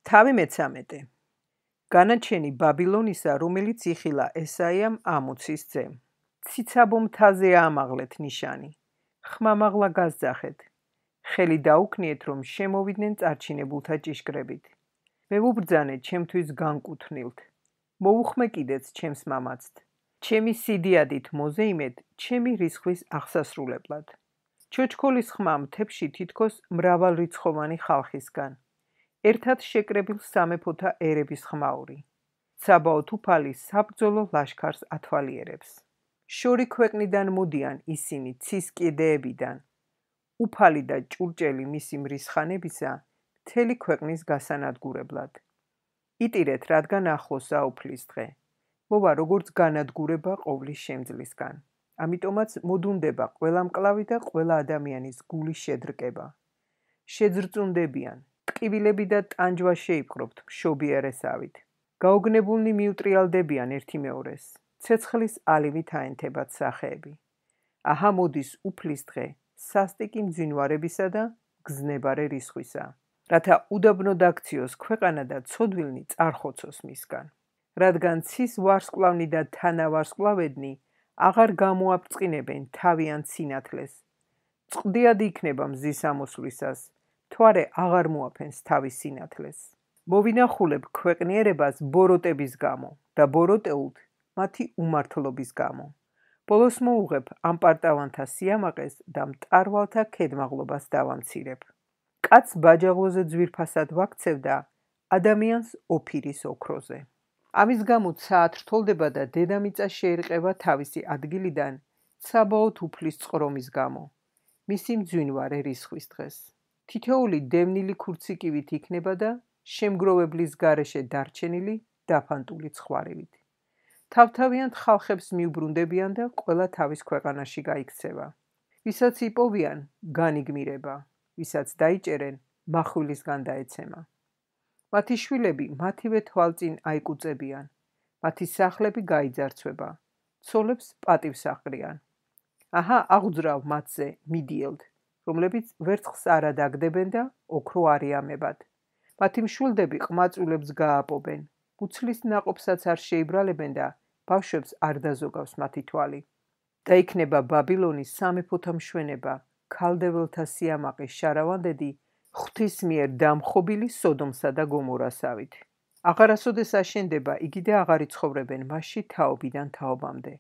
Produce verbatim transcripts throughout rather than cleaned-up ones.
თავი მეცამეტე. განაჩენი ბაბილონისა, რომელიც იხილა ესაიამ ამოცის ძემ. ციცაბო მთაზე ამაღლეთ ნიშანი. ხმამაღლა გასძახეთ. ხელი დაუქნიეთ, რომ შემოვიდნენ წარჩინებულთა ჭიშკრებით. მე ვუბრძანე ჩემთვის განკუთვნილთ. მოუხმე კიდეც ჩემს მამაცთ. ჩემი სიდიადით მოზეიმეთ, ჩემი რიცხვის აღსასრულებლად. ჩოჩქოლის ხმა მთებში თითქოს მრავალრიცხოვანი ხალხისგან. ერთად შეკრებილ სამეფოთა ერების ხმაური. საბაოთ უფალი საბრძოლო ლაშქარს ათვალიერებს. შორი ქვეყნიდან მოდიან ისინი ცის კიდეებიდან. უფალი და ჭურჭელი მისი მრისხანებისა მთელი ქვეყნის გასანადგურებლად. იტირეთ, რადგან ახლოსა უფლის დღე. მოვა როგორც განადგურება ყოვლის შემძლისგან. ამიტომაც მოდუნდება ყველა მკლავი და ყველა ადამიანის გული შედრკება. შეძრწუნდებიან. ტკივილები და ტანჯვა შეიპყრობთ მშობიარესავით. გაოგნებულნი მიუტრიალდებიან ერთი მეორეს. ცეცხლის ალივით აენთებათ სახეები. აჰა მოდის უფლის დღე, სასტიკი მძინვარებისა და გზნებარე რისხვისა. რათა უდაბნო დაქციოს ქვეყანა და ცოდვილნი წარხოცოს მისგან. რადგან ცის ვარსკვლავნი და თანავარსკვლავედნი აღარ გამოაბრწყინებენ თავიანთ სინათლეს. წყდიად იქნება მზის ამოსვლისას, მთვარე აღარ მოაფენს თავის სინათლეს. მოვინახულებ ქვეყნიერებას ბოროტების გამო და ბოროტეულთ მათი უმართლობის გამო. ბოლოს მოუღებ ამ პარტავანთა სიამაყეს და მტარვალთა ქედმაღლობას დავამცირებ. კაცს ბაჯაღლოზე ძვირფასად ვაქცევდა ადამიანს ოფირის ოქროზე. ამის გამო ცაათ რთოლდება და დედამიწა შეერყება თავისი ადგილიდან საბაოთ უფლის წყრომის გამო. მისი მძვინვარე რიცხვის დღეს. თითოეული დევნილი ქურციკივით იქნება და შემგროვებლის გარეშე დარჩენილი დაფანტული ცხვარივით. თავთავიანთ ხალხებს მიუბრუნდებიან და ყველა თავის ქვეყანაში გაიქცევა. ვისაც იპოვიან, განიგმირება, ვისაც დაიჭერენ, מחვილისგან დაეცემა. მათი შვილები მათივე თვალწინ აიკუწებიან, მათი სახლები გაიძარცვება, ცოლებს პატივს აყრიან. აჰა აღძრავ მათზე მიდიელთ, რომლებიც ვერცხლს არ ადაგდებენ და ოქრო არ იამებად. მათი მშვილდები ყმაწვილებს გააპობენ, მუცლის ნაყოფსაც არ შეიბრალებენ და ბავშვებს არ დაზოგავს მათი თვალი. და იქნება ბაბილონის სამეფოთა მშვენება, ქალდეველთა სიამაყის შარავანდედი, ღვთის მიერ დამხობილი სოდომსა და გომორასავით. აღარასოდეს აშენდება იგი და აღარ იცხოვრებენ მასში თაობიდან თაობამდე.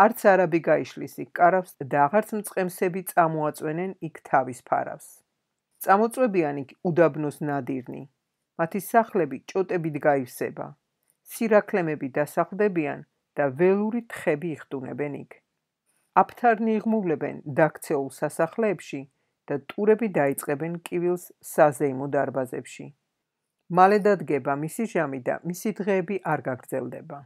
არც არაბი გაიშლის იქ კარავს და აღარც მწყემსები წამოაწვენენ იქ თავის ფარავს. წამოწვევიან იქ უდაბნოს ნადირნი. მათი სახლები ჭოტებით გაივსება. სირაქლემები დასახლდებიან და ველური თხები იხტუნებენ იქ. აფთარნი იღმუვლებენ დაქცეულ სასახლეებში და ტურები დაიწყებენ კივილს საზეიმო დარბაზებში. მალე დადგება მისი ჟამი და მისი დღეები არ გაგრძელდება.